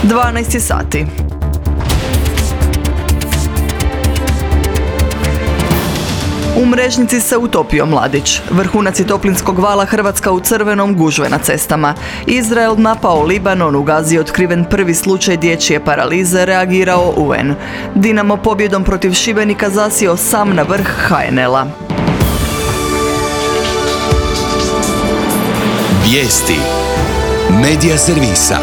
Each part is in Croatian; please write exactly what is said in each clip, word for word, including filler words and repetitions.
dvanaest sati. U Mrežnici se utopio mladić. Vrhunac je toplinskog vala, Hrvatska u crvenom, gužve na cestama. Izrael napao Libanon, u Gazi je otkriven prvi slučaj dječje paralize, reagirao U N. Dinamo pobjedom protiv Šibenika zasjeo sam na vrh H N L-a. Vijesti Medija servisa.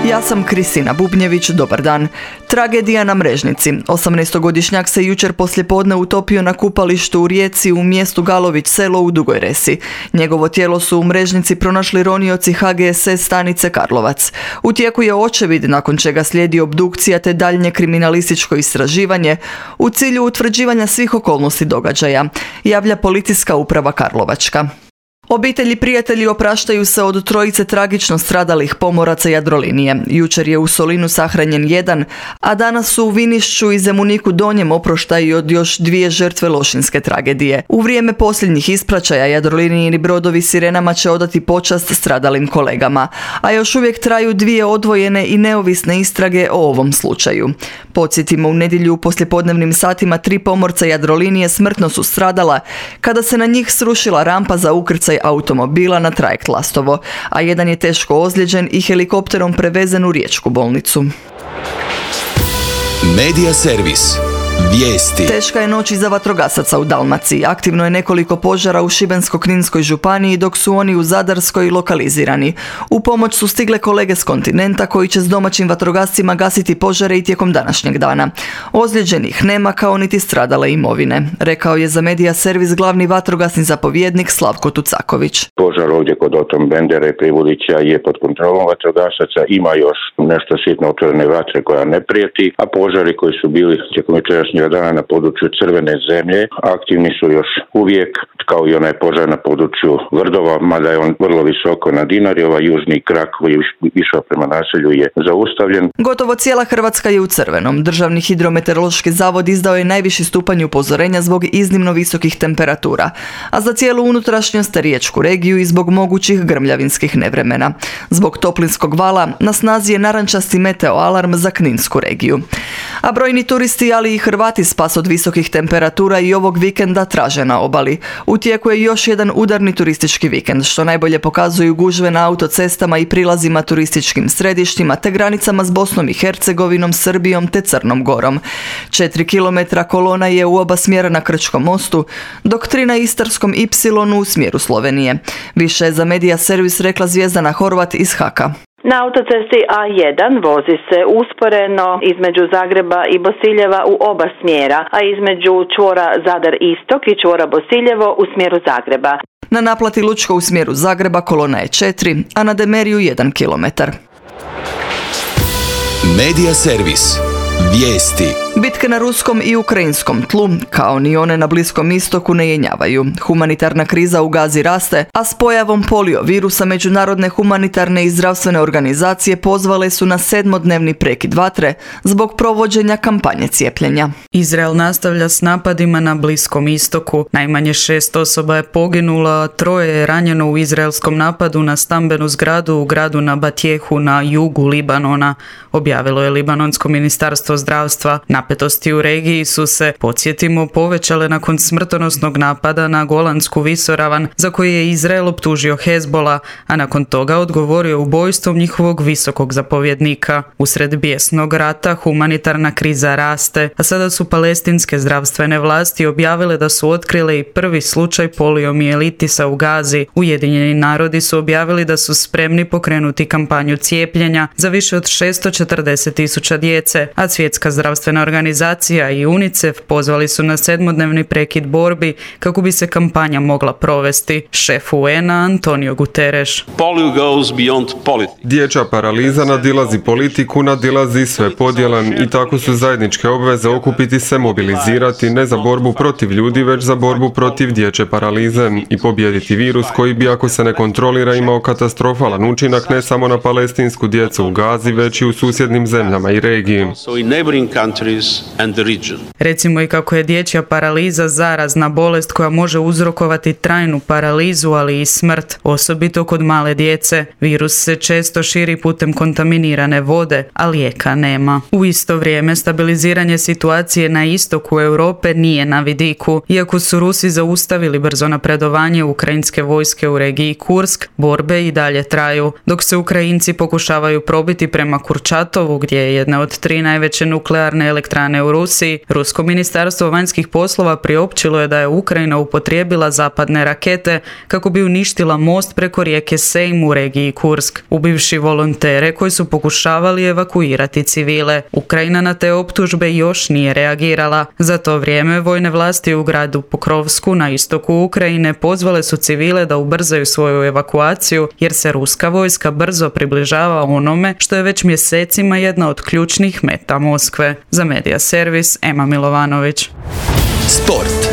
Ja sam Kristina Bubnjević, dobar dan. Tragedija na Mrežnici. osamnaestogodišnjak se jučer poslijepodne utopio na kupalištu u Rijeci u mjestu Galović selo u Dugoj Resi. Njegovo tijelo su u Mrežnici pronašli ronioci H G S S stanice Karlovac. U tijeku je očevid, nakon čega slijedi obdukcija te daljnje kriminalističko istraživanje u cilju utvrđivanja svih okolnosti događaja, javlja Policijska uprava Karlovačka. Obitelji i prijatelji opraštaju se od trojice tragično stradalih pomoraca Jadrolinije. Jučer je u Solinu sahranjen jedan, a danas su u Vinišću i Zemuniku Donjem oproštaju od još dvije žrtve lošinjske tragedije. U vrijeme posljednjih ispraćaja Jadrolinijini brodovi Sirenama će odati počast stradalim kolegama, a još uvijek traju dvije odvojene i neovisne istrage o ovom slučaju. Podsjetimo, u nedjelju u poslijepodnevnim satima tri pomorca Jadrolinije smrtno su stradala kada se na njih srušila rampa za ukrcaj automobila na trajekt Lastovo, a jedan je teško ozlijeđen i helikopterom prevezen u riječku bolnicu. Medija servis. Vijesti. Teška je noć iza vatrogasaca u Dalmaciji. Aktivno je nekoliko požara u Šibensko-kninskoj županiji, dok su oni u Zadarskoj lokalizirani. U pomoć su stigle kolege s kontinenta koji će s domaćim vatrogascima gasiti požare i tijekom današnjeg dana. Ozlijeđenih nema kao niti stradale imovine, rekao je za Medija servis glavni vatrogasni zapovjednik Slavko Tucaković. Požar ovdje kod Otom Bendera i Privulića je pod kontrolom vatrogasaca, ima još nešto sitno otvorene vatre koja ne prijeti, a požari koji su bili tijekom dana na području Crvene zemlje aktivni su još uvijek, kao i onaj požar na području Vrdova, mada je on vrlo visoko na Dinari. Ovaj južni krak koji je išao prema naselju je zaustavljen. Gotovo cijela Hrvatska je u crvenom. Državni hidrometeorološki zavod izdao je najviši stupanj upozorenja zbog iznimno visokih temperatura, a za cijelu unutrašnjost riječku regiju i zbog mogućih grmljavinskih nevremena. Zbog toplinskog vala na snazi je narančasti meteo alarm za Kninsku regiju. A brojni turisti, ali i Hrvati, spas od visokih temperatura i ovog vikenda traže na obali. U tijeku je još jedan udarni turistički vikend, što najbolje pokazuju gužve na autocestama i prilazima turističkim središtima te granicama s Bosnom i Hercegovinom, Srbijom te Crnom Gorom. Četiri kilometra kolona je u oba smjera na Krčkom mostu, dok tri na Istarskom Ipsilonu u smjeru Slovenije. Više je za Medija servis rekla Zvjezdana Horvat iz Haka. Na autocesti A jedan vozi se usporeno između Zagreba i Bosiljeva u oba smjera, a između čvora Zadar Istok i čvora Bosiljevo u smjeru Zagreba. Na naplati Lučko u smjeru Zagreba kolona je četiri, a na Demeriju jedan kilometar. Medija servis. Vijesti. Bitke na ruskom i ukrajinskom tlu, kao ni one na Bliskom istoku, ne jenjavaju. Humanitarna kriza u Gazi raste, a s pojavom polio virusa međunarodne humanitarne i zdravstvene organizacije pozvale su na sedmodnevni prekid vatre zbog provođenja kampanje cijepljenja. Izrael nastavlja s napadima na Bliskom istoku. Najmanje šest osoba je poginulo, a troje je ranjeno u izraelskom napadu na stambenu zgradu u gradu Nabatjehu na jugu Libanona, objavilo je libanonsko ministarstvo zdravstva. Napetosti u regiji su se, podsjetimo, povećale nakon smrtonosnog napada na Golansku visoravan, za koji je Izrael optužio Hezbola, a nakon toga odgovorio ubojstvom njihovog visokog zapovjednika. Usred bijesnog rata humanitarna kriza raste, a sada su palestinske zdravstvene vlasti objavile da su otkrile i prvi slučaj poliomijelitisa u Gazi. Ujedinjeni narodi su objavili da su spremni pokrenuti kampanju cijepljenja za više od šesto četrdeset tisuća djece, a Svjetska zdravstvena organizacija i UNICEF pozvali su na sedmodnevni prekid borbi kako bi se kampanja mogla provesti. Šef U N-a Antonio Guterres. Dječja paraliza nadilazi politiku, nadilazi sve podjele i tako su zajedničke obveze okupiti se, mobilizirati ne za borbu protiv ljudi, već za borbu protiv dječje paralize i pobijediti virus koji bi, ako se ne kontrolira, imao katastrofalan učinak ne samo na palestinsku djecu u Gazi, već i u susjednim zemljama i regiji. countries and the region. Recimo i kako je dječja paraliza zarazna bolest koja može uzrokovati trajnu paralizu, ali i smrt, osobito kod male djece. Virus se često širi putem kontaminirane vode, a lijeka nema. U isto vrijeme stabiliziranje situacije na istoku Europe nije na vidiku. Iako su Rusi zaustavili brzo napredovanje ukrajinske vojske u regiji Kursk, borbe i dalje traju, dok se Ukrajinci pokušavaju probiti prema Kurčatovu, gdje je jedna od tri najveće nuklearne elektrane u Rusiji. Rusko ministarstvo vanjskih poslova priopćilo je da je Ukrajina upotrijebila zapadne rakete kako bi uništila most preko rijeke Sejm u regiji Kursk, ubivši volontere koji su pokušavali evakuirati civile. Ukrajina na te optužbe još nije reagirala. Za to vrijeme vojne vlasti u gradu Pokrovsku na istoku Ukrajine pozvale su civile da ubrzaju svoju evakuaciju jer se ruska vojska brzo približava onome što je već mjesecima jedna od ključnih meta Moskve. Za Medija Servis, Ema Milovanović. Sport.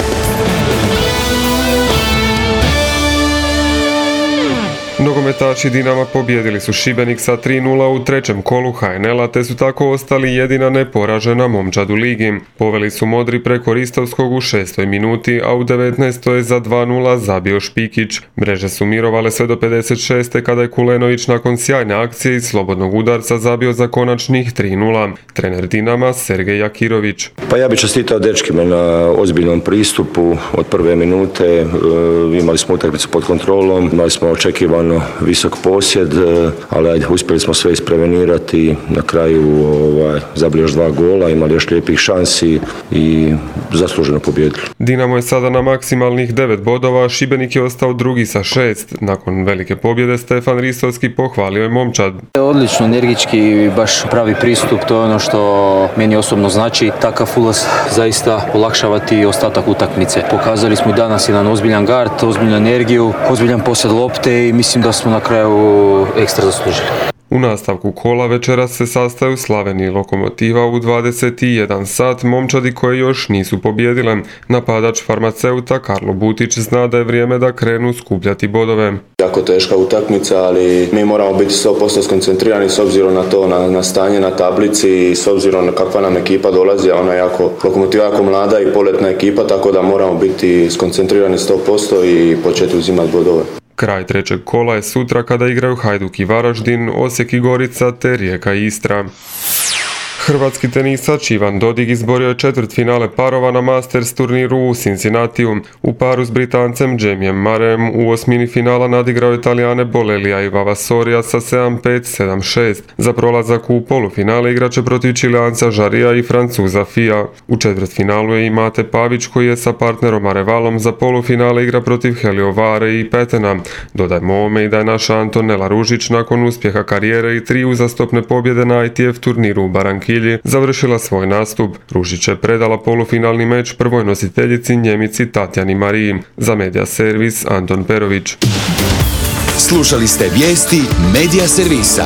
Nogometaši Dinama pobijedili su Šibenik sa tri nula u trećem kolu ha en el-a te su tako ostali jedina neporažena momčad u ligi. Poveli su modri preko Ristovskog u šestoj minuti, a u devetnaestoj je za dva nula zabio Špikić. Mreže su mirovale sve do pedeset šeste kada je Kulenović nakon sjajne akcije i slobodnog udarca zabio za konačnih tri nula. Trener Dinama Sergej Jakirović. Pa ja bih čestitao dečkima na ozbiljnom pristupu od prve minute. E, imali smo utakmicu pod kontrolom, imali smo očekivano visok posjed, ali ajde, uspjeli smo sve isprevenirati. Na kraju ovaj, zabili još dva gola, imali još lijepih šansi i zasluženo pobijedili. Dinamo je sada na maksimalnih devet bodova, Šibenik je ostao drugi sa šest. Nakon velike pobjede Stefan Ristovski pohvalio je momčad. Odlično, energički, baš pravi pristup, to je ono što meni osobno znači. Takav ulaz zaista olakšavati ostatak utakmice. Pokazali smo i danas jedan ozbiljan gard, ozbiljnu energiju, ozbiljan posjed lopte i mislim da smo na kraju ekstra zaslužili. U nastavku kola večeras se sastaju Slaven i Lokomotiva u dvadeset jedan sat, momčadi koje još nisu pobjedile. Napadač Farmaceuta Karlo Butić zna da je vrijeme da krenu skupljati bodove. Jako teška utakmica, ali mi moramo biti sto posto skoncentrirani s obzirom na to, na, na stanje na tablici i s obzirom na kakva nam ekipa dolazi, a ona je jako, Lokomotiva jako mlada i poletna ekipa, tako da moramo biti skoncentrirani sto posto i početi uzimati bodove. Kraj trećeg kola je sutra kada igraju Hajduk i Varaždin, Osijek i Gorica te Rijeka i Istra. Hrvatski tenisač Ivan Dodig izborio je četvrtfinale parova na Masters turniru u Cincinnatiju. U paru s Britancem Jamijem Murrayem u osmini finala nadigrao je Talijane Bolelija i Vavasorija sa sedam pet sedam šest. Za prolazak u polufinale igraće protiv Čileanca Žarija i Francuza Fija. U četvrtfinalu je i Mate Pavić koji je sa partnerom Arevalom za polufinale igra protiv Helio Vare i Petena. Dodajmo ovome i da je naša Antonela Ružić nakon uspjeha karijere i tri uzastopne pobjede na I T F turniru u Barankilji završila svoj nastup. Ružić je predala polufinalni meč prvoj nositeljici Njemici Tatjani Mariji. Za Medija Servis Anton Perović. Slušali ste vijesti Medija Servisa.